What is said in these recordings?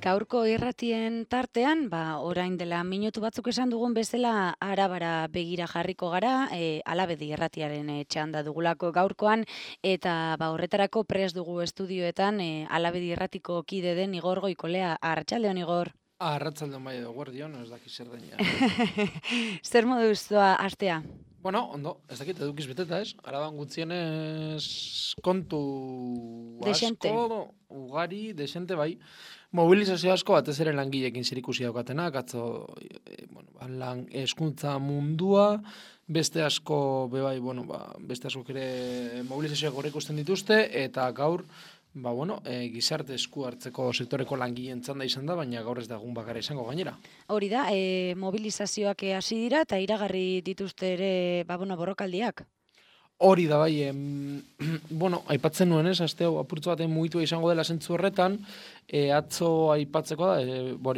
Gaurko irratien tartean, orain dela minutu batzuk esan dugun bezala, Arabara begira jarriko gara, Alabedi irratiaren txanda dugulako gaurkoan, eta horretarako prest dugu estudioetan, Alabedi irratiko kide den Igor Goikolea. Arratsaldeon, Igor. Arratsaldeon bai edo guardion, ez dakit zer daina. Zer moduz doa astea? Bueno, ondo, ez dakit edukiz beteta, ez? Araban gutxienez kontu Dexente. asko, ugari, desente bai. Mobilizazio asko batez ere langileekin zerikusi daukatenak, atzo lan hezkuntza mundua, beste asko bebai, beste asko ere mobilizazioak hor ikusten dituzte, eta gaur gizarte esku hartzeko sektoreko langileen txanda izan da, baina gaur ez da egun bakarra izango gainera. Hori da, mobilizazioak hasi dira eta iragarri dituzte ere, borrokaldiak. Hori da bai, aipatzen nuen ez, aste hau apurtzu baten mugitua izango dela zentzu horretan, atzo aipatzeko da,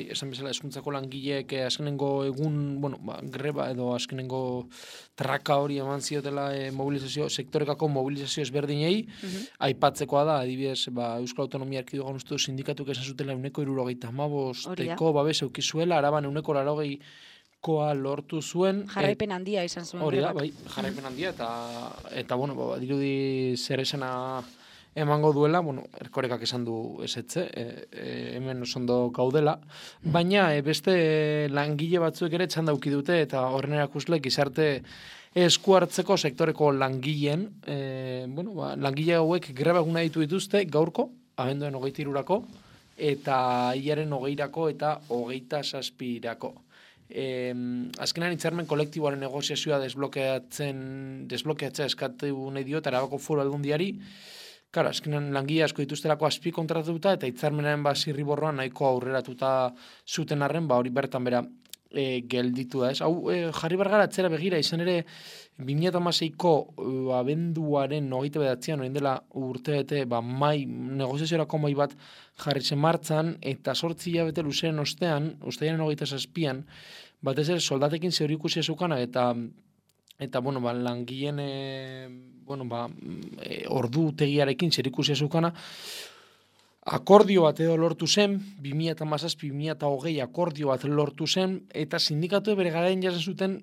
esan bezala hezkuntzako langileek azkenengo egun, greba edo azkenengo traka hori eman ziotela sektorekako mobilizazio ezberdinei, aipatzekoa da, adibidez, Euskal Autonomia Erkidegoan uste du sindikatuk esan zutela 75% babes eukizuela, Araban 80% lortu zuen. Jarraipen handia izan zuen. Hori da, bai, jarraipen handia, eta dirudi zer esana emango duela, Erkorekak esan du ezetze, hemen osondo gaudela, baina beste langile batzuek ere txanda uki dute, eta horren erakusle gizarte esku hartzeko sektoreko langileen, langile hauek greba eguna dituzte gaurko, abenduaren 23rako, eta hilaren 20rako eta 27irako. Azkenan hitzarmen kolektiboaren negoziazioa desblokeatzea eskatu nahi dio Arabako Foru Aldundiari. Claro, azkenan langile asko dituztelako azpi kontratatuta eta hitzarmenaren zirriborroan nahiko aurreratuta zuten arren, hori bertan bera gelditu da, ez? Hau jarri bargara atzera begira, izan ere 2016ko abenduaren 29an orain dela urtebete negoziaziorako mai bat jarri zen martzan, eta 8 hilabete luzeen ostean, uztailaren 27an, batez ere soldatekin zerikusia zukana, eta langileen ordutegiarekin zerikusia zukana, akordio bat edo lortu zen, 2017-2020 akordio bat lortu zen, eta sindikatu bere garaien jasen zuten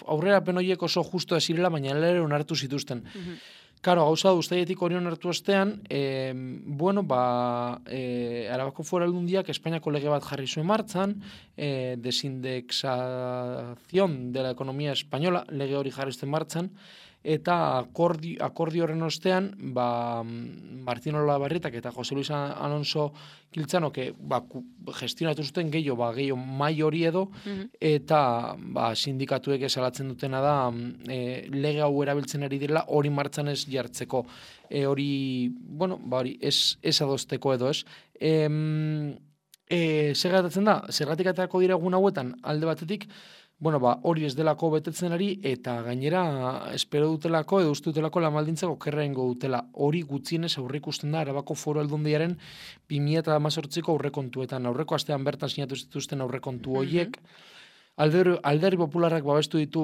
aurrerapen horiek oso justo zirela, baina ere onartu zituzten. Karo, gauza da, uztailetik hori onartu ostean, Arabako Foru Aldundiak Espainiako lege bat jarri zuen martzan, desindexazion de la ekonomia española, lege hori jarri zuen martzan, eta akordio horren ostean, Martín Olabarrietak eta Jose Luis Alonso Kiltzanok gestionatu zuten gehiago mai hori edo, eta sindikatuek esalatzen dutena da lege hau erabiltzen ari direla hori martzan ez jartzeko, hori ez adosteko edo ez. Zergatzen da, zergatik aterako dira egun hauetan alde batetik, hori ez delako betetzen ari, eta gainera espero dutelako edo uste dutelako lamaldintzako okerrengo dutela. Hori gutxienez aurreikusten da Arabako Foru Aldundiaren 2018ko aurrekontuetan. Aurreko astean bertan sinatu zituzten aurrekontu horiek. Alderdi Popularrak babestu ditu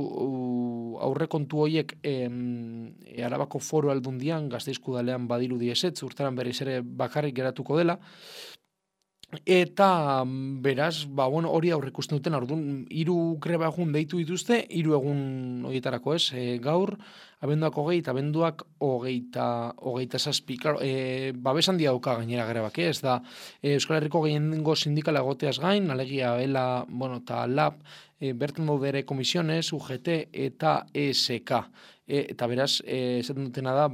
aurrekontu horiek Arabako Foru Aldundian, Gasteizko udalean badirudi ezetz, urtaran berriz ere bakarrik geratuko dela. Eta beraz, hori aurreikusten duten, orduan 3 greba egun deitu dituzte, 3 egun horietarako ez, gaur, abenduak 20 eta abenduak 27. Claro, babes handia dauka gainera grebak, ez da, Euskal Herriko gehiengo sindikala egoteaz gain, alegia ELA, eta LAB, bertan daude ere komisiones, UGT eta ESK. Eta beraz, esaten dutena da,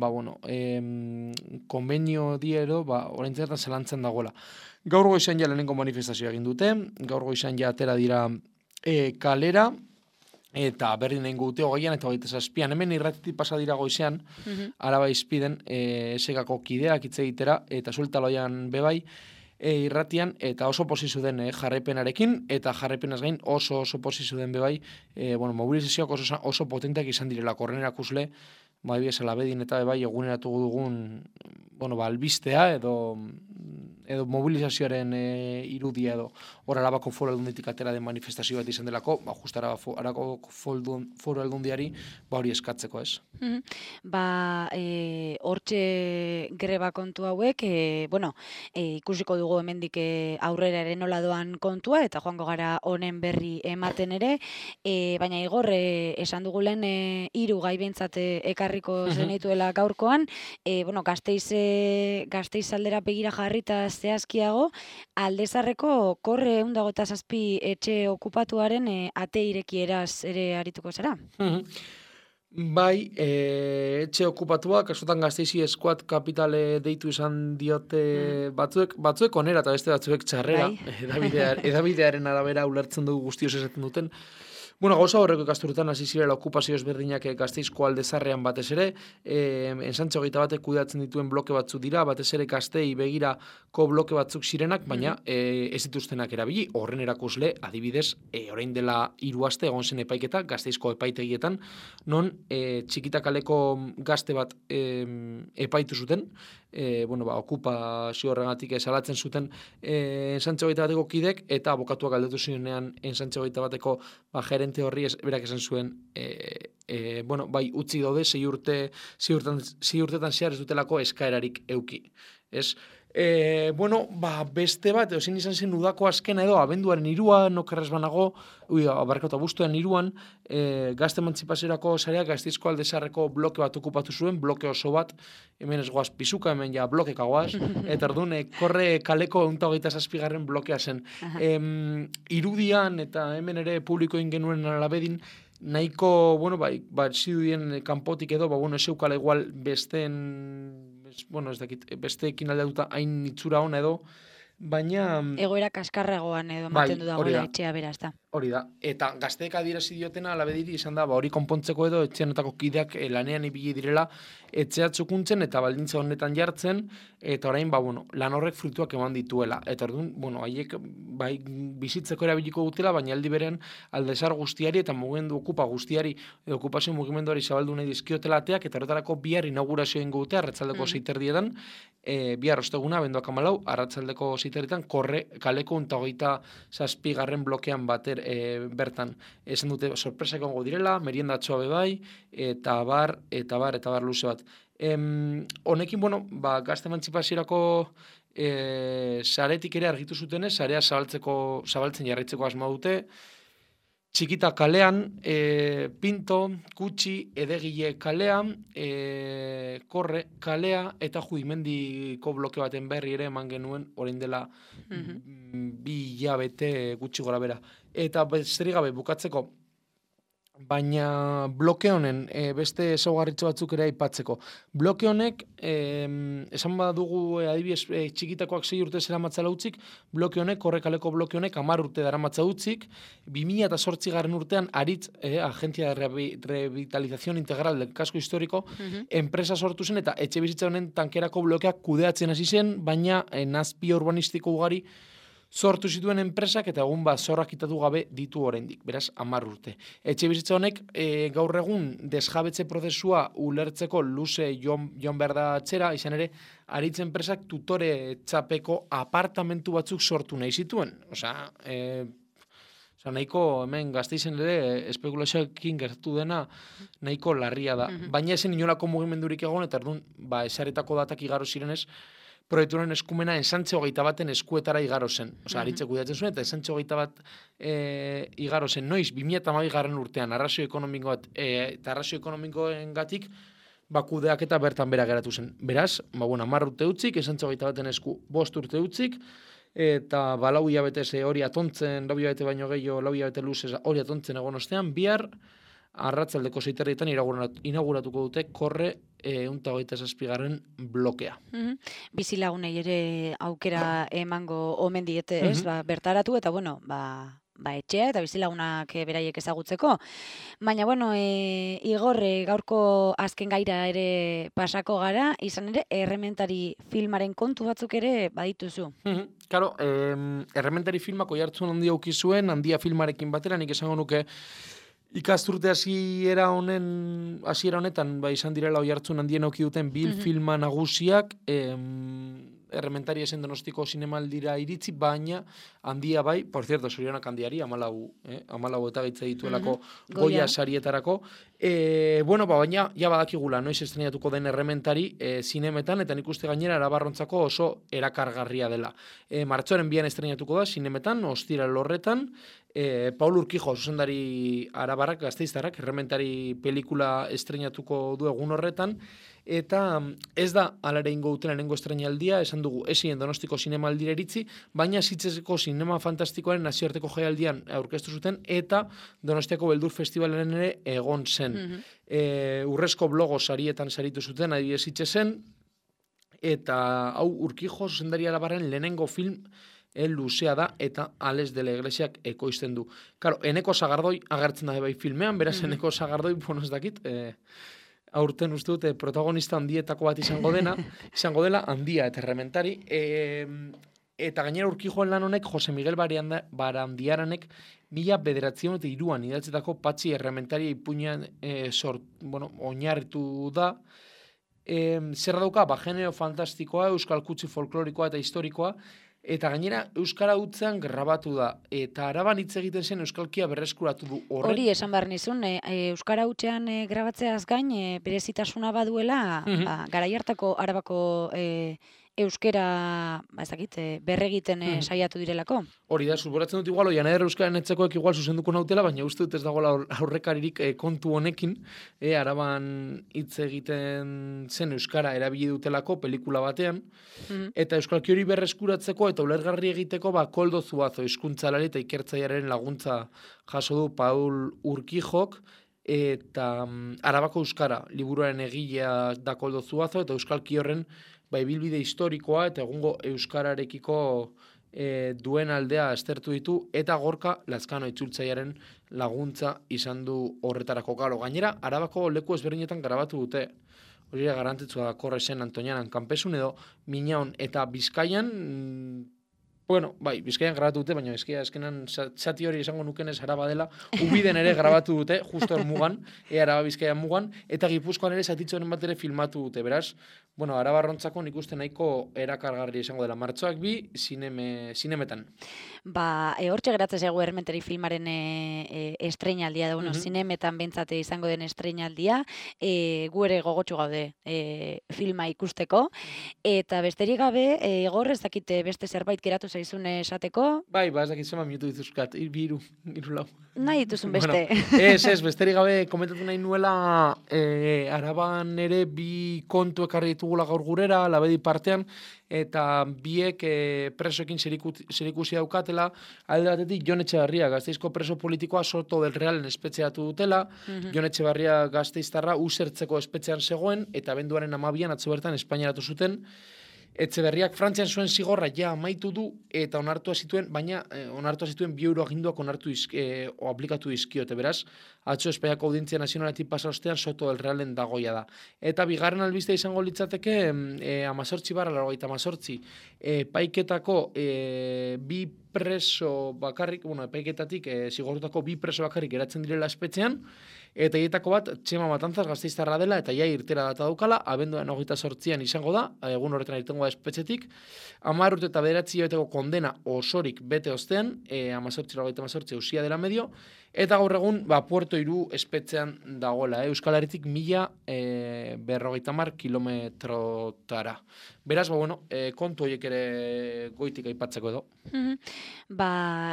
konbenio diero, orain zertan zelantzen dagoela. Gaur goizan ja lehenengo manifestazioa egin dute, gaur goizan ja atera dira kalera, eta berdin egin dute 20an eta 27an, hemen irratitik pasa dira goizean, Araba Izpiden, esegako kideak hitz egitera, eta sueltaloian bebai, irratian, eta oso posizu den jarraipenarekin, eta jarraipenaz gain oso posizu den bebai, mobilizazioak oso potenteak izan direla, korren erakusle, bai alabedin eta bai eguneratu dugun albistea edo mobilizazioaren irudia edo hor Arabako Foru Aldunditik atera den manifestazio bat izan delako, just Arabako Foru Aldundiari hori eskatzeko, ez? Hortxe greba kontu hauek, ikusiko dugu hemendik aurrera ere nola doan kontua, eta joango gara honen berri ematen ere, baina Igor, esan dugu lehen 3 gai behintzat ekarriko zenituela gaurkoan, Gasteiz aldera begira jarrita zehazkiago, Aldezarreko korre 127 etxe okupatuaren ate irekieraz ere arituko zara? Bai, etxe okupatuak, askotan Gasteizi Squad Capital deitu izan diote batzuek onera eta beste batzuek txarrera, edabidearen arabera ulertzen dugu guztioz esaten duten. Gauza horreko ikasturretan hasi zirela okupazio ezberdinak Gasteizko Aldezarrean batez ere, Ensantxo 21 kudeatzen dituen bloke batzuk dira, batez ere Gastei begirako bloke batzuk zirenak, baina ez dituztenak erabili, horren erakusle, adibidez, orain dela 3 aste egon zen epaiketa Gasteizko epaitegietan, non txikitakaleko gazte bat epaitu zuten, okupazio horregatik salatzen zuten Ensantxo 21ko kidek, eta abokatuak galdetu zionean Ensantxo 21ko gerente horri berak esan zuen utzi daude 6 urtetan zehar ez dutelako eskaerarik euki. Ez? Beste bat, ezin izan zen udako azkena edo, abenduaren 3 nokerrez banago, abuztuaren 3 gazte emantzipaziorako sareak Gasteizko Aldezarreko bloke bat okupatu zuen, bloke oso bat, hemen ez goaz pisuka, hemen ja blokeka goaz, eta orduan korre kaleko 127 blokea zen. Irudian eta hemen ere publikoin genuen alabedin, nahiko, zidudien kanpotik edo, ez eukala igual besteekin aldatuta hain itzura hona edo, baina... Egoera kaskarragoan edo ematen du dagoela etxea beraz da. Hori da, eta gazteek adierazi diotena alabediri izan da, hori konpontzeko edo etxeanetako kideak lanean ibili direla etxea txukuntzen eta baldintza honetan jartzen, eta orain, lan horrek fruituak eman dituela. Eta orduan, haiek bizitzeko erabiliko dutela, baina aldi berean Aldezar guztiari eta mugimendu okupa guztiari, okupazio mugimenduari zabaldu nahi dizkiotela ateak, eta horretarako bihar inaugurazio ingo dute, arratsaldeko 6 bihar osteguna, abenduak 14, arratsaldeko 6 korre kaleko 127 blokean bater bertan. Esan dute sorpresa egongo direla, meriendatxoa bebai, eta bar luze bat. Honekin, gazte emantzipaziorako saretik ere argitu zutenez, sarea zabaltzen jarraitzeko asma dute, Txikita kalean, Pinto, Kutxi, Edegile kalean, Korre kalea eta Judimendiko bloke baten berri ere eman genuen orain dela 2 hilabete gutxi gora bera. Eta besterik gabe bukatzeko, baina bloke honen beste ezaugarritxo batzuk ere aipatzeko. Bloke honek, esan badugu adibidez txikitakoak 6 urte zeramatzala utzik, bloke honek, Korrekaleko bloke honek 10 urte daramatza utzik, 2008 urtean aritz, Agencia de Revitalización Integral del Casco Histórico, enpresa sortu zen eta etxe bizitza honen tankerako blokeak kudeatzen hasi zen, baina nazpi urbanistiko ugari sortu zituen enpresak eta egun zorrak kitatu gabe ditu oraindik, beraz 10 urte. Etxe bizitza honek gaur egun desjabetze prozesua ulertzeko luze joan behar da atzera, izan ere, aritz enpresak tutore txapeko apartamentu batzuk sortu nahi zituen. Nahiko hemen Gasteizen ere espekulazioekin gertu dena nahiko larria da. Baina esen inolako mugimendurik egon, eta erdun, esaretako datak igaro zirenez, proiektuaren eskumena Ensantxo 21 eskuetara igaro zen. Aritzek kudeatzen zuen, eta Ensantxo 21 igaro zen. Noiz, 2012 urtean, arrazio ekonomikoat eta arrazio ekonomikoengatik kudeak eta bertan bera geratu zen. Beraz, 10 urte utzik, Ensantxo 21 esku 5 urte utzik, eta 4 hilabete hori atontzen, 4 hilabete baino gehiago, 4 hilabete luzez hori atontzen egon ostean, bihar arratsaldeko 6 inauguratuko dute Korre 127 blokea. Bizilagunei ere aukera emango omen diete, ez? Bertaratu eta etxea eta bizilagunak beraiek ezagutzeko. Baina, Igor, gaurko azken gaira ere pasako gara, izan ere, Errementari filmaren kontu batzuk ere badituzu. Claro, Errementari filmako jartzun handia ukizuen, handia filmarekin batera, nik esango nuke Ikasturte hasiera honetan izan direla oihartzun handien eduki duten filma nagusiak, Errementari esen Donostiko zinemaldira iritzi, baina handia bai, por cierto, zorionak handiari, 14 eta gitze dituelako Goya sarietarako. Baina ja badakigula, noiz estrenatuko den Errementari zinemetan, eta nik uste gainera Arabarrontzako oso erakargarria dela. Martxoaren 2an estrenatuko da zinemetan, ostiral horretan, Paul Urquijo, zuzendari arabarrak, gasteiztarrak, Errementari pelikula estrenatuko du egun horretan, eta ez da alare ingo duten lehenengo estrenaldia, esan dugu esien Donostiko zinemaldira iritzi, baina Sitgeseko Zinema Fantastikoaren nazioarteko jaialdian aurkeztu zuten, eta Donostiako Beldur Festivalaren ere egon zen. Urrezko blogo sarietan saritu zuten, adibidez Sitgesen, eta hau Urquijo zuzendari arabarren lehenengo film luzea da, eta Ales de la Iglesiak ekoizten du. Claro, Eneko Sagardoi agertzen da bai filmean, beraz Eneko Sagardoi, ez dakit, aurten uste dute protagonista handietako bat izango dela handia eta Errementari, eta gainera Urquijoen lan honek Jose Miguel Barandiaranek 1903an idatzetako Patxi Errementari ipuinean oinarritu da. Zer dauka, genero fantastikoa, euskal kutsi folklorikoa eta historikoa, eta gainera euskara hutzean grabatu da, eta Araban hitz egiten zen euskalkia berreskuratu du horrek. Hori esan behar nizun, euskara hutzean grabatzeaz gain, berezitasuna baduela, garai hartako Arabako euskera, berregiten saiatu direlako. Hori da, suporatzen dut igual, oian euskaren etzekoek igual zuzenduko nautela, baina uste dut ez dagoela aurrekaririk kontu honekin, Araban hitz egiten zen euskara erabili dutelako pelikula batean, eta euskalki hori berreskuratzeko eta ulergarri egiteko Koldo Zuazo hizkuntzalari eta ikertzailearen laguntza jaso du Paul Urquijok, eta Arabako euskara liburuaren egilea da Koldo Zuazo, eta euskalki horren ibilbide historikoa eta egungo euskararekiko duen aldea aztertu ditu, eta Gorka Lazkano itzultzailearen laguntza izan du horretarako. Gainera, Arabako leku ezberdinetan grabatu dute. Hori garrantzitsua da, Korresen, Antonianan, Kanpesun edo Minaon, eta Bizkaian, Bizkaian grabatu dute, baina eskenan zati hori esango nukenez Araba dela, Ubiden ere grabatu dute, justo mugan, Araba Bizkaian mugan, eta Gipuzkoan ere zatitzoren bat ere filmatu dute, beraz, Arabarrontzako nik uste nahiko erakargarri izango dela. Martxoak 2 zinemetan. Hortxe geratzen zego Errementari filmaren estreinaldia da, zinemetan bentsate izango den estreinaldia, gu ere gogotsu gaude filma ikusteko, eta besterik gabe, Igor ez dakite beste zerbait geratu zaizun esateko? Ez dakit zema minutu dituzkat, 2, 3 lau. Nahi dituzun beste. Ez, besterik gabe komentatu nahi nuela Araban ere 2 kontu ekarri ditugula gaur gurera, Labedi partean, eta biek presoekin zerikusi daukatela, alde batetik Jon Etxebarria, Gasteizko preso politikoa Soto del Realen espetxeatu dutela, Jon Etxebarria gasteiztarra usertzeko espetxean zegoen, eta abenduaren 12an atzo bertan Espainiaratu zuten. Etxeberriak Frantzian zuen zigorra ja amaitu du, eta onartua zituen 2 euro aginduak aplikatu dizkiote, beraz, atzo Espainiako Audientzia Nazionaletik pasa ostean Soto del Realen dagoia da. Eta bigarren albiste izango litzateke 18/88 epaiketako 2 preso bakarrik, epaiketatik zigortutako 2 preso bakarrik geratzen direla espetxean, eta hietako bat Txema Matanzas gasteiztarra dela, eta irtera data daukala, abenduaren 28an izango da, egun horretan irtengo da espetxetik, 10 urte eta 9 hilabeteko kondena osorik bete ostean, 18/88 ausia dela medio, eta gaur egun Puerto Iru espetxean dagoela, Euskal Herritik 1050 kilometrotara. Beraz, kontu horiek ere goitik aipatzeko edo.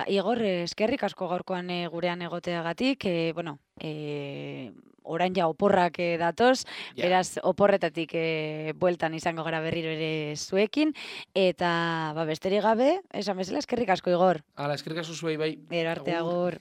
Igor, eskerrik asko gaurkoan gurean egoteagatik, orain ja oporrak datoz, beraz oporretatik bueltan izango gara berriro ere zuekin, eta besterik gabe, esan bezala eskerrik asko, Igor. Eskerrik asko zuei bai. Gero arte, agur.